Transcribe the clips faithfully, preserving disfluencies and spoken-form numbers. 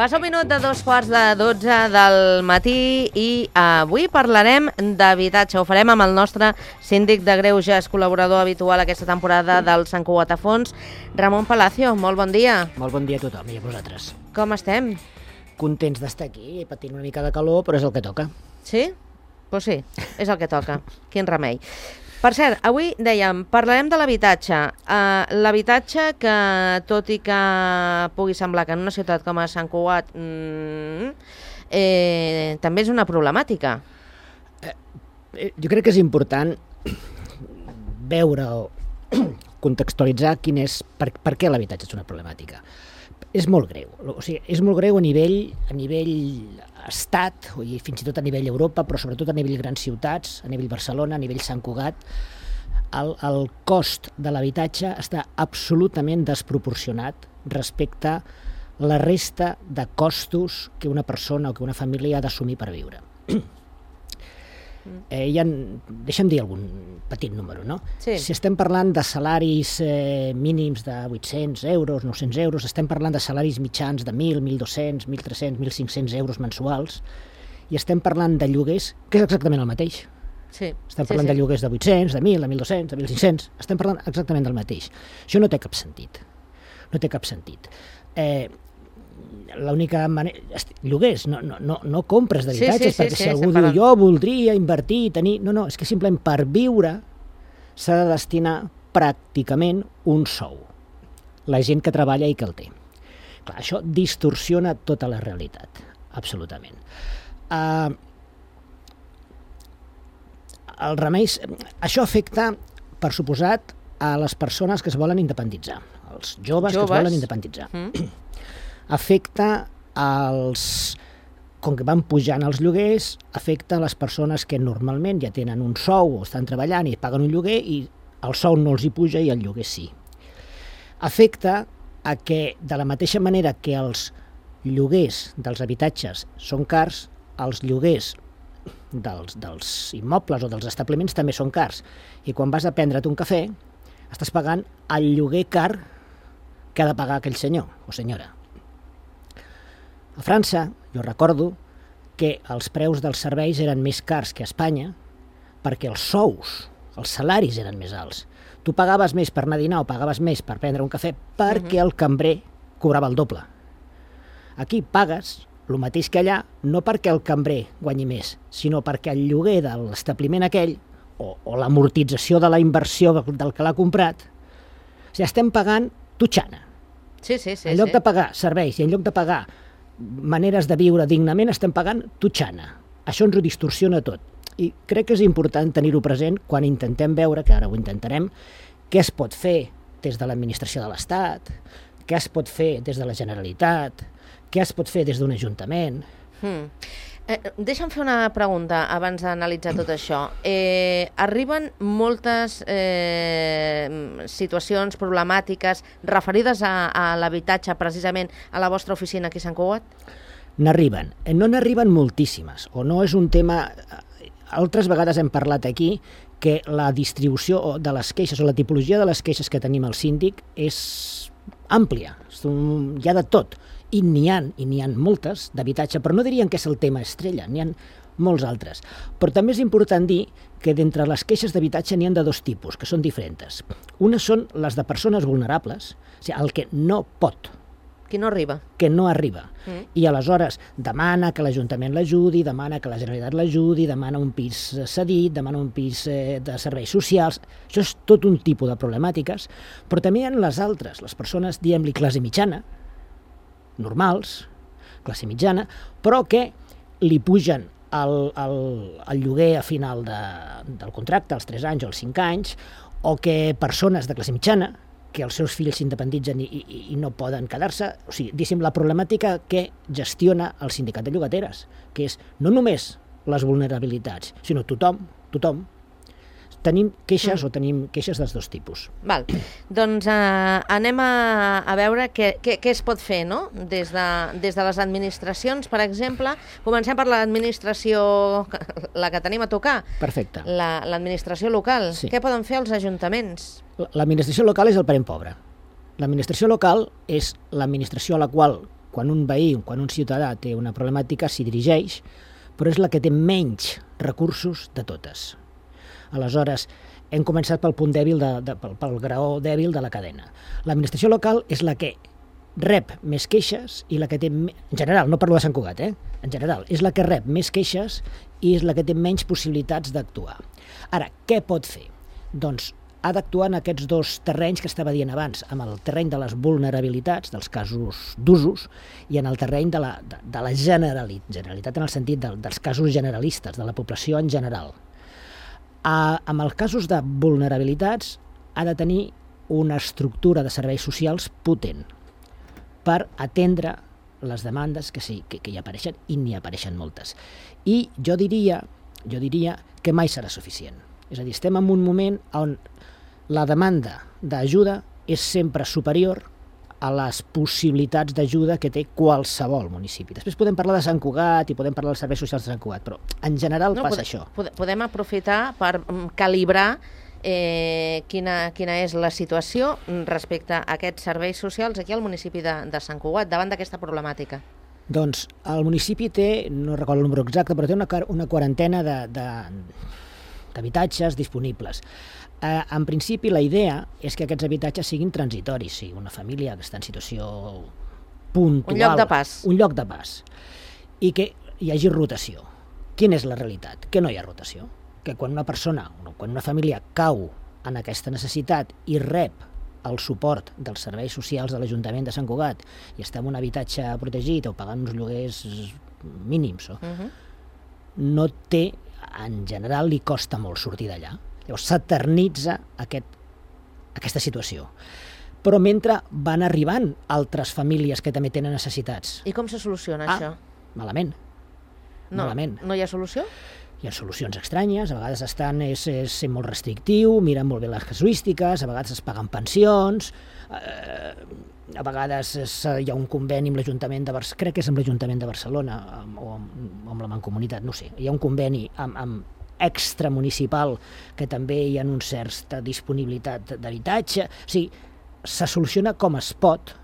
Passa un minut de dos quarts de dotze del matí i avui parlarem d'habitatge. Ho farem amb el nostre síndic de Greuges, col·laborador habitual aquesta temporada del Sant Cugat a Fons, Ramon Palacio. Molt bon dia. Molt bon dia a tothom i a vosaltres. Com estem? Contents d'estar aquí, patint una mica de calor, però és el que toca. Sí? Doncs sí, és el que toca. Quin remei. Per cert, avui dèiem, parlarem de l'habitatge. Uh, l'habitatge que, tot i que pugui semblar que en una ciutat com a Sant Cugat mm, eh, també és una problemàtica. Eh, eh, jo crec que és important veure o contextualitzar quin és, per, per què l'habitatge és una problemàtica. És molt greu, o sigui, és molt greu a nivell, a nivell estat, i fins i tot a nivell Europa, però sobretot a nivell grans ciutats, a nivell Barcelona, a nivell Sant Cugat. El, el cost de l'habitatge està absolutament desproporcionat respecte a la resta de costos que una persona o que una família ha d'assumir per viure. Eh, hi ha, deixa'm dir algun petit número, no? Sí. Si estem parlant de salaris eh, mínims de vuit-cents euros, nou-cents euros, estem parlant de salaris mitjans de mil, mil dos-cents, mil tres-cents, mil cinc-cents euros mensuals, i estem parlant de lloguers, que és exactament el mateix. Sí. Estem parlant sí, sí. de lloguers de vuit-cents, de mil, de mil dos-cents, de mil cinc-cents, estem parlant exactament del mateix. Això no té cap sentit. No té cap sentit. Eh, l'única manera... Lloguers, no, no, no, no compres d'habitatges, sí, sí, sí, perquè sí, si algú parlant... diu jo voldria invertir, tenir... No, no, és que simplement per viure s'ha de destinar pràcticament un sou. La gent que treballa i que el té. Clar, això distorsiona tota la realitat, absolutament. Uh, el remei... Això afecta, per suposat, a les persones que es volen independitzar, els joves, joves. que es volen independitzar. Mm. Afecta als, com que van pujant els lloguers, afecta a les persones que normalment ja tenen un sou o estan treballant i paguen un lloguer i el sou no els hi puja i el lloguer sí. Afecta a que, de la mateixa manera que els lloguers dels habitatges són cars, els lloguers dels, dels immobles o dels establiments també són cars. I quan vas a prendre't un cafè, estàs pagant el lloguer car que ha de pagar aquell senyor o senyora. A França, jo recordo que els preus dels serveis eren més cars que a Espanya perquè els sous, els salaris eren més alts. Tu pagaves més per anar a dinar o pagaves més per prendre un cafè perquè el cambrer cobrava el doble. Aquí pagues el mateix que allà, no perquè el cambrer guanyi més, sinó perquè el lloguer de l'establiment aquell o, o l'amortització de la inversió del que l'ha comprat, o sigui, estem pagant totxana. Sí, sí, sí, en lloc sí. de pagar serveis i en lloc de pagar maneres de viure dignament, estem pagant totxana. Això ens ho distorsiona tot. I crec que és important tenir-ho present quan intentem veure, que ara ho intentarem, què es pot fer des de l'administració de l'Estat, què es pot fer des de la Generalitat, què es pot fer des d'un ajuntament. Hmm. Eh, deixa'm fer una pregunta abans d'analitzar tot això. Eh, arriben moltes eh, situacions problemàtiques referides a, a l'habitatge, precisament a la vostra oficina aquí a Sant Cugat? N'arriben. No n'arriben moltíssimes, o no és un tema... Altres vegades hem parlat aquí que la distribució de les queixes o la tipologia de les queixes que tenim al síndic és àmplia, hi ha de tot. I n'hi ha, i n'hi ha moltes d'habitatge, però no dirien que és el tema estrella, n'hi ha molts altres. Però també és important dir que d'entre les queixes d'habitatge n'hi ha de dos tipus, que són diferents. Una són les de persones vulnerables, o sigui, el que no pot. Qui no arriba. Que no arriba. Mm. I aleshores demana que l'Ajuntament l'ajudi, demana que la Generalitat l'ajudi, demana un pis cedit, demana un pis eh, de serveis socials. Això és tot un tipus de problemàtiques, però també hi ha les altres, les persones, diguem-li, classe mitjana, normals, classe mitjana, però que li pugen el, el, el lloguer a final de, del contracte, als tres anys o als cinc anys, o que persones de classe mitjana, que els seus fills s'independitzen i, i, i no poden quedar-se. O sigui, diguéssim, la problemàtica que gestiona el sindicat de llogateres, que és no només les vulnerabilitats, sinó tothom, tothom, tenim queixes mm. o tenim queixes dels dos tipus. Val. Doncs eh, anem a, a veure què, què, què es pot fer, no? Des de, des de les administracions, per exemple. Comencem per l'administració, la que tenim a tocar. Perfecte. La, l'administració local. Sí. Què poden fer els ajuntaments? L'administració local és el parent pobre. L'administració local és l'administració a la qual quan un veí, quan un ciutadà té una problemàtica, s'hi dirigeix, però és la que té menys recursos de totes. Aleshores, hem començat pel punt dèbil, de, de, pel, pel graó dèbil de la cadena. L'administració local és la que rep més queixes i la que té... En general, no parlo de Sant Cugat, eh? En general, és la que rep més queixes i és la que té menys possibilitats d'actuar. Ara, què pot fer? Doncs ha d'actuar en aquests dos terrenys que estava dient abans, amb el terreny de les vulnerabilitats, dels casos d'usos, i en el terreny de la, de, de la generalitat, generalitat en el sentit de, dels casos generalistes, de la població en general. A, amb els casos de vulnerabilitats ha de tenir una estructura de serveis socials potent per atendre les demandes que, sí, que, que hi apareixen, i n'hi apareixen moltes. I jo diria, jo diria que mai serà suficient. És a dir, estem en un moment on la demanda d'ajuda és sempre superior a les possibilitats d'ajuda que té qualsevol municipi. Després podem parlar de Sant Cugat i podem parlar dels serveis socials de Sant Cugat, però en general no, passa podem, això. Podem aprofitar per calibrar eh, quina, quina és la situació respecte a aquests serveis socials aquí al municipi de, de Sant Cugat, davant d'aquesta problemàtica. Doncs el municipi té, no recordo el número exacte, però té una, una quarantena de, de, d'habitatges disponibles. Eh, en principi, la idea és que aquests habitatges siguin transitoris, sí, una família que està en situació puntual. Un lloc de pas. Un lloc de pas. I que hi hagi rotació. Quina és la realitat? Que no hi ha rotació. Que quan una persona, quan una família cau en aquesta necessitat i rep el suport dels serveis socials de l'Ajuntament de Sant Cugat i està en un habitatge protegit o pagant uns lloguers mínims, o, uh-huh. no té, en general li costa molt sortir d'allà. Llavors s'eternitza aquest, aquesta situació. Però mentre van arribant altres famílies que també tenen necessitats. I com se soluciona ah, això? Malament. No, malament. No hi ha solució? Hi ha solucions estranyes, a vegades estan, és, és ser molt restrictiu, miren molt bé les casuístiques, a vegades es paguen pensions, eh, a vegades és, hi ha un conveni amb l'Ajuntament de Barcelona, crec que és amb l'Ajuntament de Barcelona amb, o amb, amb la Mancomunitat, no sé, hi ha un conveni amb, amb extramunicipal que també hi ha un certa disponibilitat d'habitatge. O sigui, se soluciona com es pot,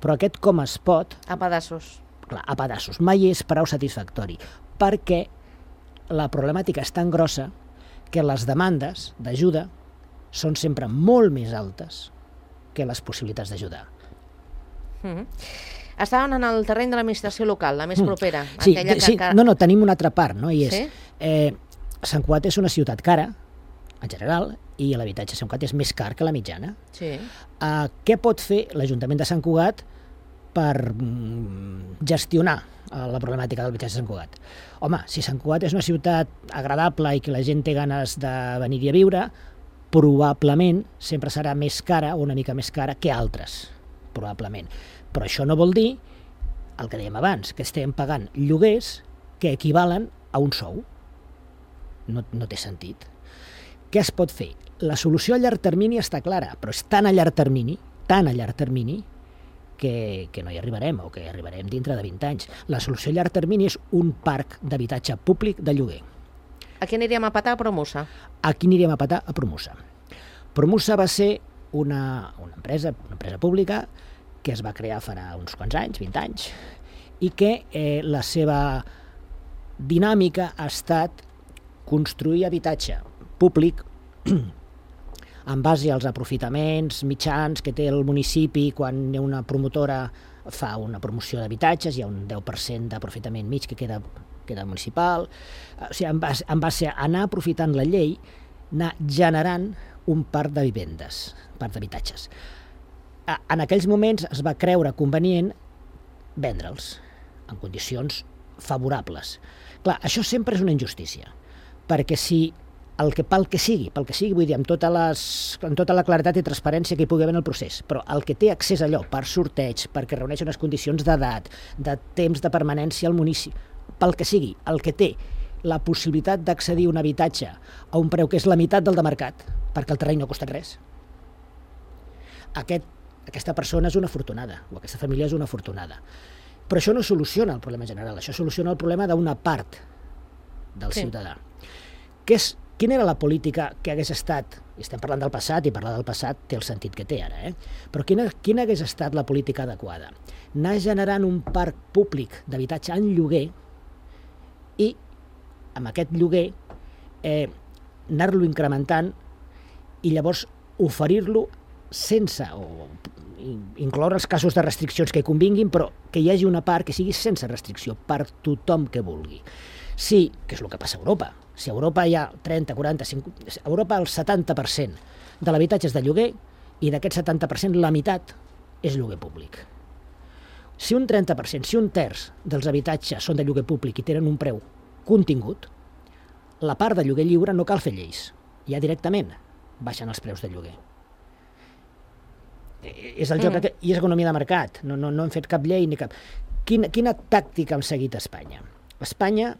però aquest com es pot... A pedassos. Clar, a pedassos. Mai és prou satisfactori, perquè la problemàtica és tan grossa que les demandes d'ajuda són sempre molt més altes que les possibilitats d'ajudar. Mm-hmm. Estaven en el terreny de l'administració local, la més propera. Sí, aquella sí que... no, no, tenim una altra part, no? I és, sí? eh, Sant Cugat és una ciutat cara, en general, i l'habitatge a Sant Cugat és més car que la mitjana. Sí. Uh, què pot fer l'Ajuntament de Sant Cugat per mm, gestionar uh, la problemàtica de l'habitatge de Sant Cugat? Home, si Sant Cugat és una ciutat agradable i que la gent té ganes de venir-hi a viure, probablement sempre serà més cara o una mica més cara que altres, probablement. Però això no vol dir, el que dèiem abans, que estem pagant lloguers que equivalen a un sou. No, no té sentit. Què es pot fer? La solució a llarg termini està clara, però és tan a llarg termini, tan a llarg termini, que, que no hi arribarem, o que hi arribarem dintre de vint anys. La solució a llarg termini és un parc d'habitatge públic de lloguer. Aquí aniríem a petar a Promusa? Aquí aniríem a petar a Promusa. Promusa va ser una, una, empresa, una empresa pública que es va crear farà uns quants anys, vint anys, i que eh, la seva dinàmica ha estat construir habitatge públic en base als aprofitaments mitjans que té el municipi quan una promotora fa una promoció d'habitatges, hi ha un deu per cent d'aprofitament mig que queda, queda municipal. O sigui, en base, en base a anar aprofitant la llei, anar generant un parc de vivendes, parc d'habitatges. En aquells moments es va creure convenient vendre'ls en condicions favorables. Clar, això sempre és una injustícia, perquè si el que, pel que sigui, pel que sigui, vull dir, amb tota, les, amb tota la claretat i transparència que hi pugui haver en el procés, però el que té accés a allò per sorteig, perquè reuneix unes condicions d'edat, de temps de permanència al municipi, pel que sigui, el que té la possibilitat d'accedir a un habitatge a un preu que és la meitat del de mercat, perquè el terreny no ha costat res, aquest, aquesta persona és una afortunada, o aquesta família és una afortunada. Però això no soluciona el problema general, això soluciona el problema d'una part del sí. ciutadà. Que és quina era la política que hagués estat, i estem parlant del passat, i parlar del passat té el sentit que té ara, eh? però quina, quina hagués estat la política adequada? Anar generant un parc públic d'habitatge en lloguer i amb aquest lloguer eh, anar-lo incrementant i llavors oferir-lo sense, o incloure els casos de restriccions que hi convinguin, però que hi hagi una part que sigui sense restricció per tothom que vulgui. Sí, que és el que passa a Europa. Si a Europa hi ha trenta, quaranta, cinquanta... A Europa el setanta per cent de l'habitatge és de lloguer i d'aquest setanta per cent la meitat és lloguer públic. Si un trenta per cent, si un terç dels habitatges són de lloguer públic i tenen un preu contingut, la part de lloguer lliure no cal fer lleis. Ja directament baixen els preus de lloguer. És el joc mm. que, i és economia de mercat. No, no, no hem fet cap llei ni cap... Quina, quina tàctica hem seguit a Espanya? A Espanya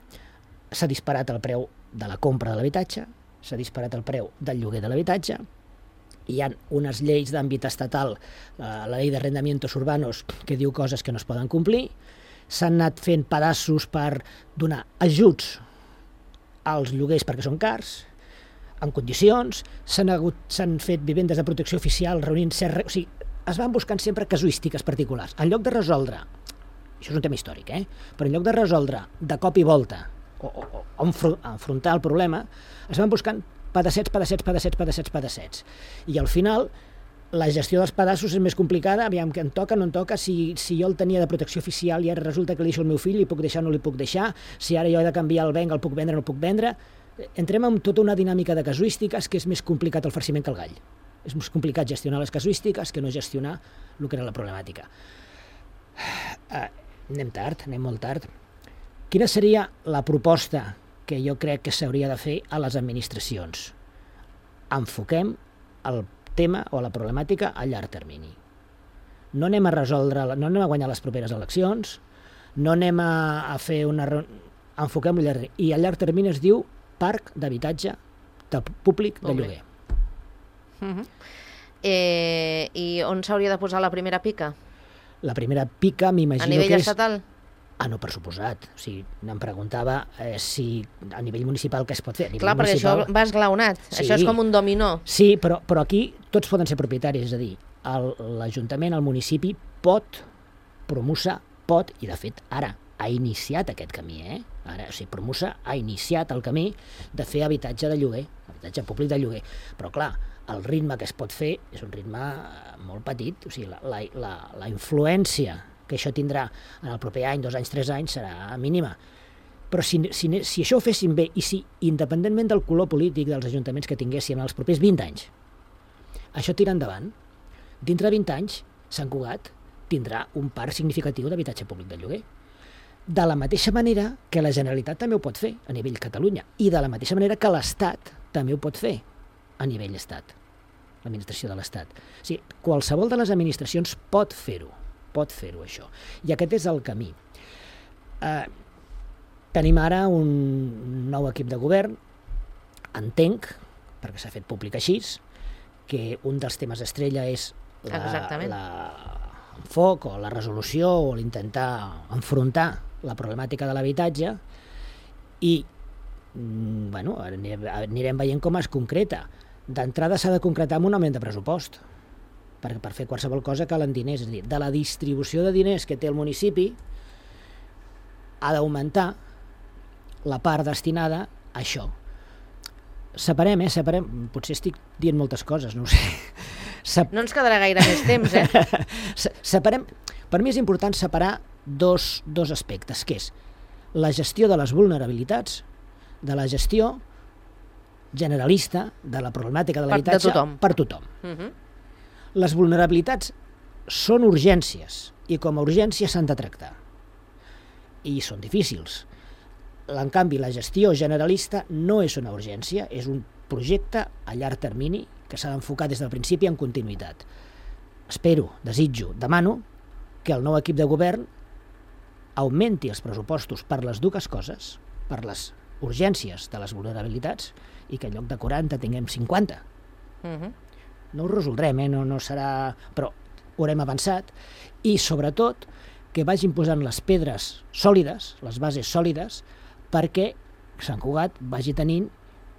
s'ha disparat el preu de la compra de l'habitatge, s'ha disparat el preu del lloguer de l'habitatge, hi ha unes lleis d'àmbit estatal, la, la llei d'arrendamientos urbanos, que diu coses que no es poden complir, s'han anat fent pedaços per donar ajuts als lloguers perquè són cars, en condicions, s'han hagut, s'han fet vivendes de protecció oficial reunint cert... O sigui, es van buscant sempre casuístiques particulars. En lloc de resoldre, això és un tema històric, eh? però en lloc de resoldre de cop i volta o, o, o enfrontar el problema, es van buscant pedassets, pedassets, pedassets, pedassets, pedassets. I al final, la gestió dels pedaços és més complicada, aviam que en toca, no en toca, si, si jo el tenia de protecció oficial i ara resulta que li deixo al meu fill, li puc deixar o no li puc deixar, si ara jo he de canviar el venc, el puc vendre o no el puc vendre. Entrem en tota una dinàmica de casuístiques que és més complicat el farciment que el gall. És més complicat gestionar les casuístiques que no gestionar el que era la problemàtica. Uh, anem tard, anem molt tard. Quina seria la proposta que jo crec que s'hauria de fer a les administracions? Enfoquem el tema o la problemàtica a llarg termini. No anem a resoldre, no anem a guanyar les properes eleccions, no anem a, a fer una... Enfoquem-ho a llarg termini. I a llarg termini es diu parc d'habitatge de públic de lloguer. Uh-huh. eh, I on s'hauria de posar la primera pica? La primera pica m'imagino que és... A nivell estatal? Ah, no, per suposat. O sigui, em preguntava eh, si a nivell municipal què es pot fer. A Clar, perquè municipal... això va esglaonat. Sí. Això és com un dominó. Sí, però, però aquí tots poden ser propietaris, és a dir, l'Ajuntament, el municipi pot promoure, pot, i de fet ara ha iniciat aquest camí, eh? Ara, o sigui, Promusa ha iniciat el camí de fer habitatge de lloguer, habitatge públic de lloguer. Però clar, el ritme que es pot fer és un ritme molt petit, o sigui, la, la, la, la influència que això tindrà en el proper any, dos anys, tres anys, serà mínima. Però si, si, si això ho féssim bé i si, independentment del color polític dels ajuntaments que tinguéssim en els propers vint anys, això tira endavant, dintre de vint anys, Sant Cugat tindrà un parc significatiu d'habitatge públic de lloguer. De la mateixa manera que la Generalitat també ho pot fer a nivell Catalunya i de la mateixa manera que l'Estat també ho pot fer a nivell Estat, l'administració de l'Estat. O sigui, qualsevol de les administracions pot fer-ho, pot fer-ho això. I aquest és el camí. Eh, tenim ara un nou equip de govern, entenc, perquè s'ha fet públic així, que un dels temes estrella és la, la enfoc o la resolució o l'intentar enfrontar la problemàtica de l'habitatge i bueno, anirem, anirem veient com es concreta. D'entrada s'ha de concretar amb un augment de pressupost, perquè per fer qualsevol cosa calen diners, és a dir, de la distribució de diners que té el municipi ha d'augmentar la part destinada a això. Separem, eh? Separem. Potser estic dient moltes coses, no ho sé. Sep... No ens quedarà gaire més temps, eh? Separem. Per mi és important separar dos, dos aspectes, que és la gestió de les vulnerabilitats de la gestió generalista de la problemàtica de l'habitatge per tothom. Uh-huh. Les vulnerabilitats són urgències i com a urgències s'han de tractar. I són difícils. En canvi, la gestió generalista no és una urgència, és un projecte a llarg termini que s'ha d'enfocar des del principi en continuïtat. Espero, desitjo, demano que el nou equip de govern augmenti els pressupostos per les dues coses, per les urgències de les vulnerabilitats, i que en lloc de quaranta tinguem cinquanta. Uh-huh. No ho resoldrem, eh? no, no serà... però haurem avançat, i sobretot que vagin posant les pedres sòlides, les bases sòlides, perquè Sant Cugat vagi tenint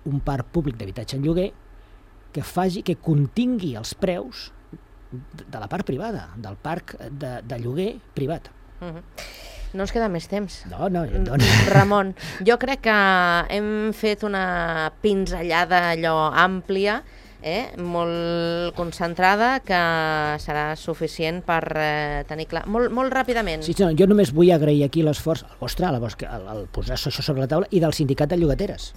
un parc públic d'habitatge en lloguer que faci, que contingui els preus de la part privada, del parc de, de lloguer privat. Uh-huh. No ens queda més temps. No, no, no. Ramon, jo crec que hem fet una pinzellada allò àmplia, eh? molt concentrada, que serà suficient per eh, tenir clar. Molt, molt ràpidament. Sí, no, jo només vull agrair aquí l'esforç, el vostre, el, el, el posar això sobre la taula, i del sindicat de llogateres,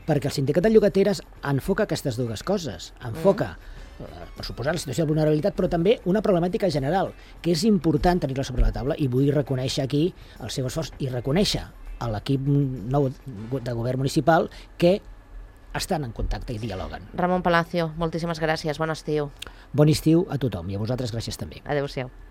perquè el sindicat de llogateres enfoca aquestes dues coses. Enfoca mm. per suposar la situació de vulnerabilitat, però també una problemàtica general, que és important tenir-la sobre la taula, i vull reconèixer aquí el seu esforç i reconèixer a l'equip nou de govern municipal que estan en contacte i dialoguen. Ramon Palacio, moltíssimes gràcies, bon estiu. Bon estiu a tothom, i a vosaltres gràcies també. Adéu-siau.